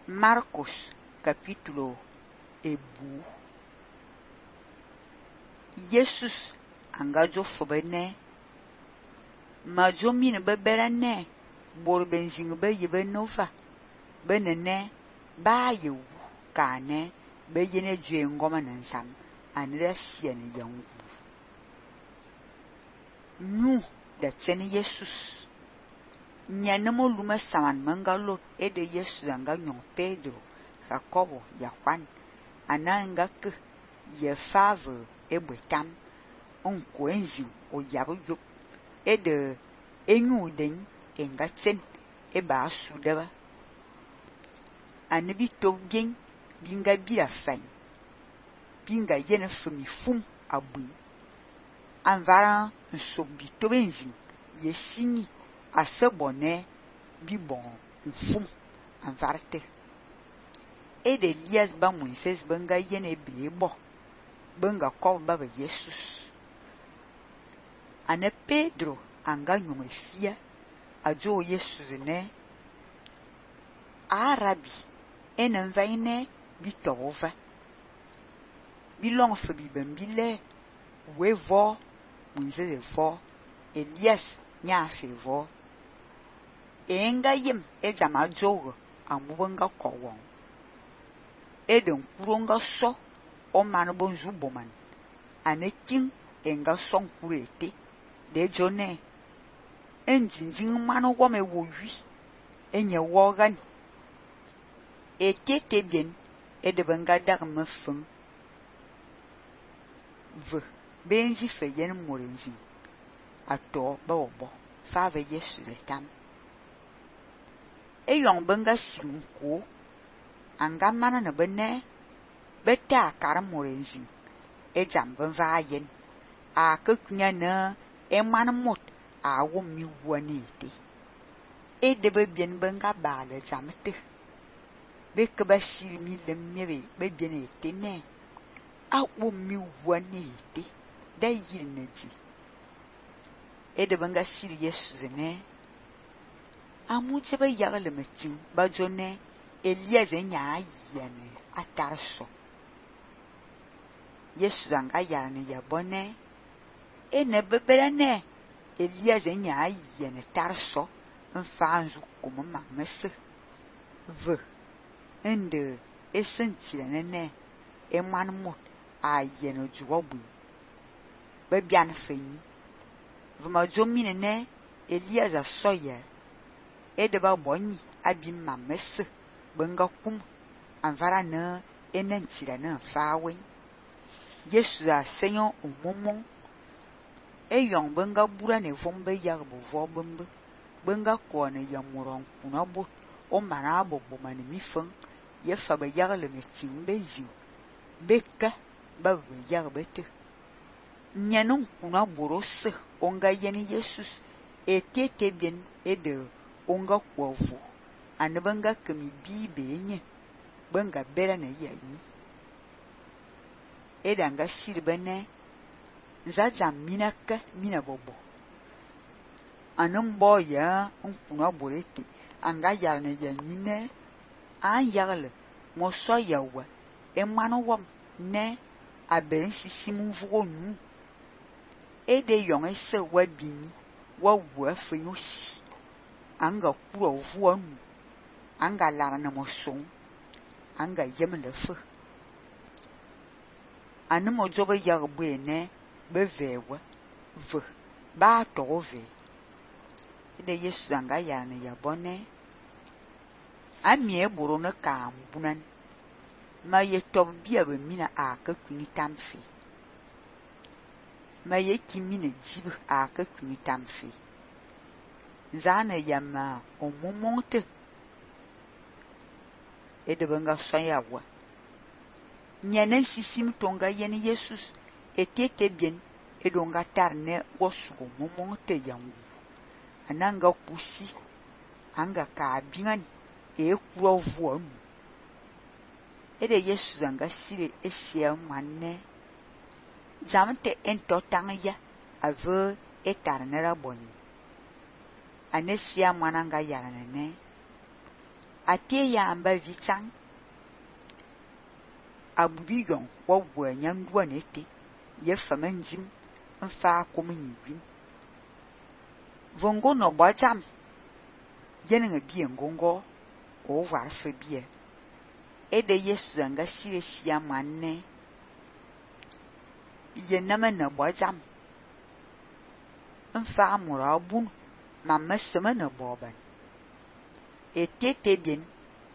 Marcos capítulo ebu. Jesus angajo fobene majo min beberane bor benzing be yebe nova benene ba yewu kane be yene dwe ngoma nansam anira siene yangu nu da tseni Jesus nyanemo luma saman mangalo ede Jesus anga nyon Pedro Jacobo ya Juan ananga ke ye fave ebwetam onko enzi o yabu yup ede enyu den enga tsen eba asudaba anibi tobgen binga bira fan binga yene fumi fum abu anvara nsobi tobenzi yesini asebone bibon fum anvarte ede Elias ba Moises benga yene bebo benga ko baba Jesus ane Pedro anga nyome fia ajo Jesus ne arabi enen vaine bitova bilong fe bibembile wevo Moises evo Elias nya fevo enga yem ejama jogo amubenga kowon eden kuronga so o man bonzu boman anekin enga son kurete de jone enjinjin manu wome wowi enye wogan etete bien edebenga dagme fun ve benji fe yen morenji ato bobo fave Jesus etam eyong benga sinko anga mana na bene beta kar morenji ejam ben vayen a kunya na eman mot a wo mi wonete edebe bien benga bale jamte be ke ba shir mi lemmebe be bien etene a wo mi wonete da yineji edebe nga shir Jesus ne amuje be yagale metin ba jone Elias nya ayene atarso Jesus anga yarne yabone ene beberane Elias nya ayene tarso mfanzu kuma mamese ve ende esentire ne eman mot ayene juwobu be bian fenyi vuma jomine ne Elias asoye edeba bonni abi mamese benga kum anvara na enentira na fawe Jesus a senyo umomon eyong benga bura ne vombe yarbo vobembe benga ko ne yamuron kunabo o manabo bomani mifan ye fa be yarle ne timbe zi beka ba be yarbete nyanon kunaboro se onga yeni Jesus etete bien ede onga kwovu anbenga kemi bibe nye benga bera na yayi edanga sirbene zaza minaka mina bobo anembo ya nkuna borete anga yarne yanyine an yarle moso yawa emanu wam ne aben sisimu vonu ede yong ese wabini wawu afenyosi anga kuro vuanu anga lara na moson anga yemle fe anemo jobe yarbu ne bevewa ve ba tove ede Jesus anga yarne yabone amie boro na kambunan ma ye tobia be mina aka kuni tamfi ma ye kimine jibu aka kuni tamfi zana yama omomonte edebenga soyawa nyane sisim tonga yeni Jesus etete bien edonga tarne wosugo momonte yangu ananga kusi anga ka bingan ekuro vuonu ede Jesus anga sire esia manne zamte entotanga ave etarnera boni anesia mananga yarane atie yamba vitang abubi yong wa wo nyandwa nete ye famanjim mfa komunyi wim vongo no bajam yenenge bie ngongo o war fe bie ede Yesu anga sire sia manne yenama na bajam mfa amura bun mamma sema na boban etete bien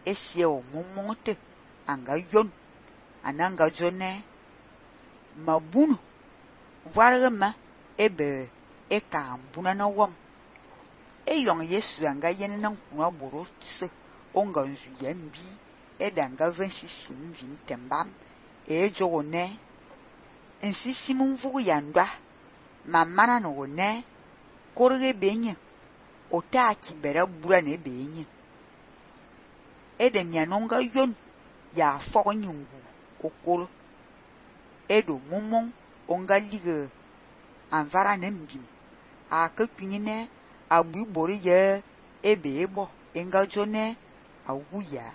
esie o mumonte anga yon ananga jone mabunu vargama ebe eka mbuna na wom eyong Yesu anga yen nan kuna boro se onga nzu yambi edanga 26 vin tembam ejone ensisim mvugu yandwa mamana no ne korge benye otaki bera bura ne benye eden yanonga yon ya fognyungu okolo edo mumon onga lige anvara ne mbim akakwinine abu bori ye ebe ebo enga jone awuya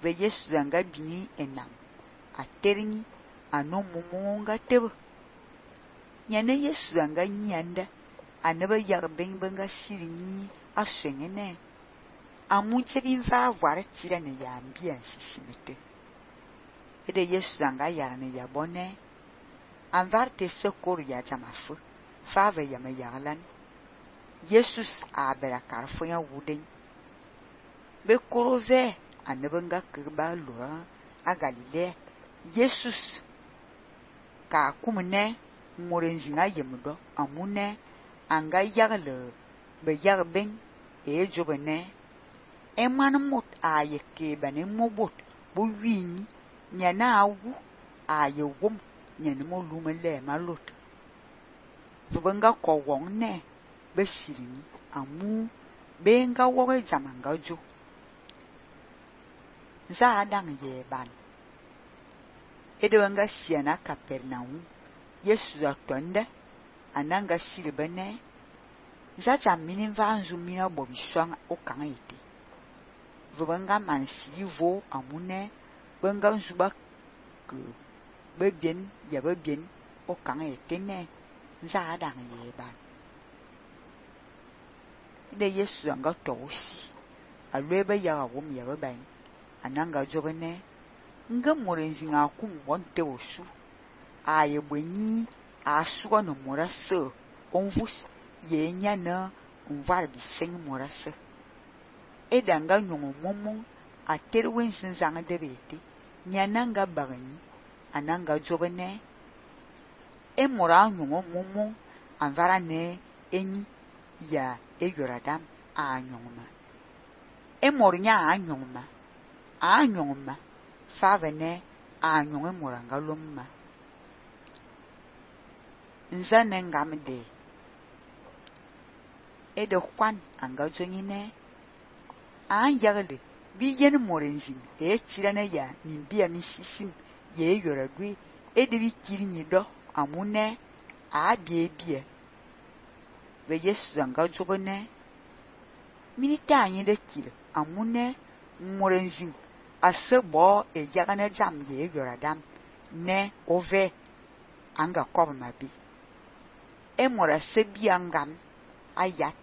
ve Yesu anga bini enam aterni ano mumonga tebe nyane Yesu anga nyanda anaba yarben banga sirini aswengene amunche binfa avware tira ne yambi ansisimete ede Yesu anga yarne yabone anvarte sekor ya jamafu fave yama yarlan Jesus abera karfonya wuden be korove anabanga kirba lura a Galilea Jesus ka kumne morenjinga yemdo amune anga yagle be yarben e jobene emanmot ayeke bane mobot bo wini nyana awu ayewom nyane mo lumele malot vubanga ko wonne be sirini amu benga woge jamanga jo za adang ye ban edwanga siana Kapernaum Yesu atonde ananga silbene za jamini vanzu mina bobiswang okanga ite vubanga mansivo amune banga nzuba ke bebien ya bebien okanga etene za adang ye ban de Yesu anga tosi alwebe ya wom ya baban ananga jobene nga morenzinga akum wonte osu aye bwenyi asuwa no morase onvus ye nyana onvar biseng morase edanga nyongo momon aterwen sinzanga debete nyananga bagani ananga jobene emora nyongo momon anvara ne enyi ya eyoradam anyongma emornya anyongma favene anyonge moranga lomma nzane ngamde edo kwan anga jonyine yagle bi yen morenjin chirane ya nimbia misisim ye yoradwi edebi kirinyi do amune biebie ve Yesu anga jobene minita anyi de kile amune morenjin asebo yagane jam ye yoradam ne ove anga kobmabi emora sebi angam ayat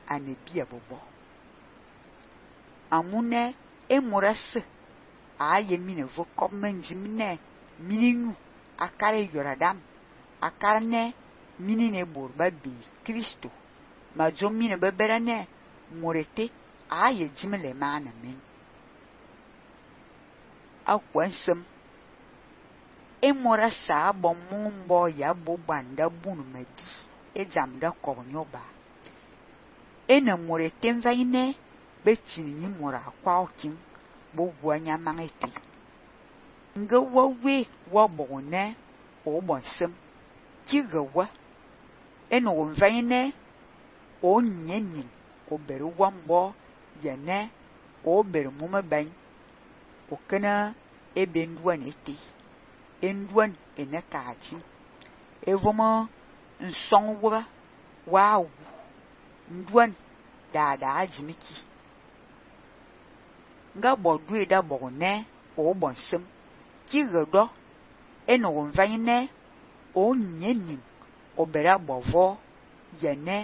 anebia bobo amune emora se aye mine vo kommenjimne mininu akare yoradam akarne minine borba bi Kristo ma jomine beberane morete aye jimle mana men akwansem emora sa bomumbo ya bobanda bunu madi ejamda kobnyoba ena morete mvaine betini mora kwa okin bogwa nyamangete nga wawe wabone obonsem kigawa eno mvaine onyenni oberu wambo yene oberu mumaban okana ebenduan ete enduan enakachi evoma nsongwa wow nduan dada ajimiki nga bo dwe da bo ne o bon sem ki redo eno vanyi ne o nyenim o bera bovo yene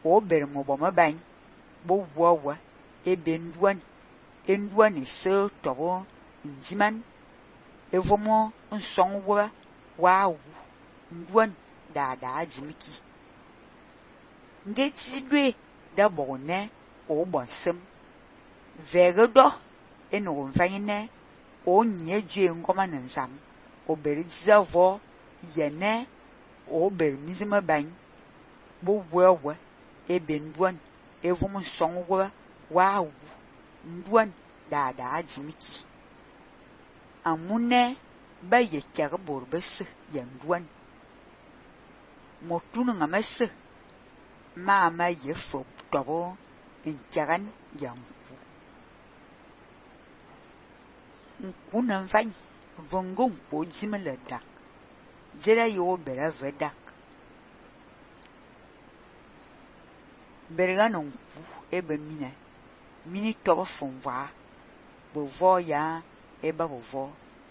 o ber mo bo maban bo wawa ebe nduan se togo njiman evomo nsongwa wa nduan da ajimiki ngeti dwe da bo ne o bon sem vegedo eno vanyi ne o nyeje ngoma nzam o ber zavo yene o ber mizima ban bo wawa ebe nduan evomo nsongwa wa nduan da ajimiki amune ba ye kyaga bor bese ya nduan motunu ngamase ma ye fo tobo nkyagan ya nku na vanyi vongo nku jimele dak jera yo bera vedak berga no nku ebe mini tobo fonwa bovo ya eba bovo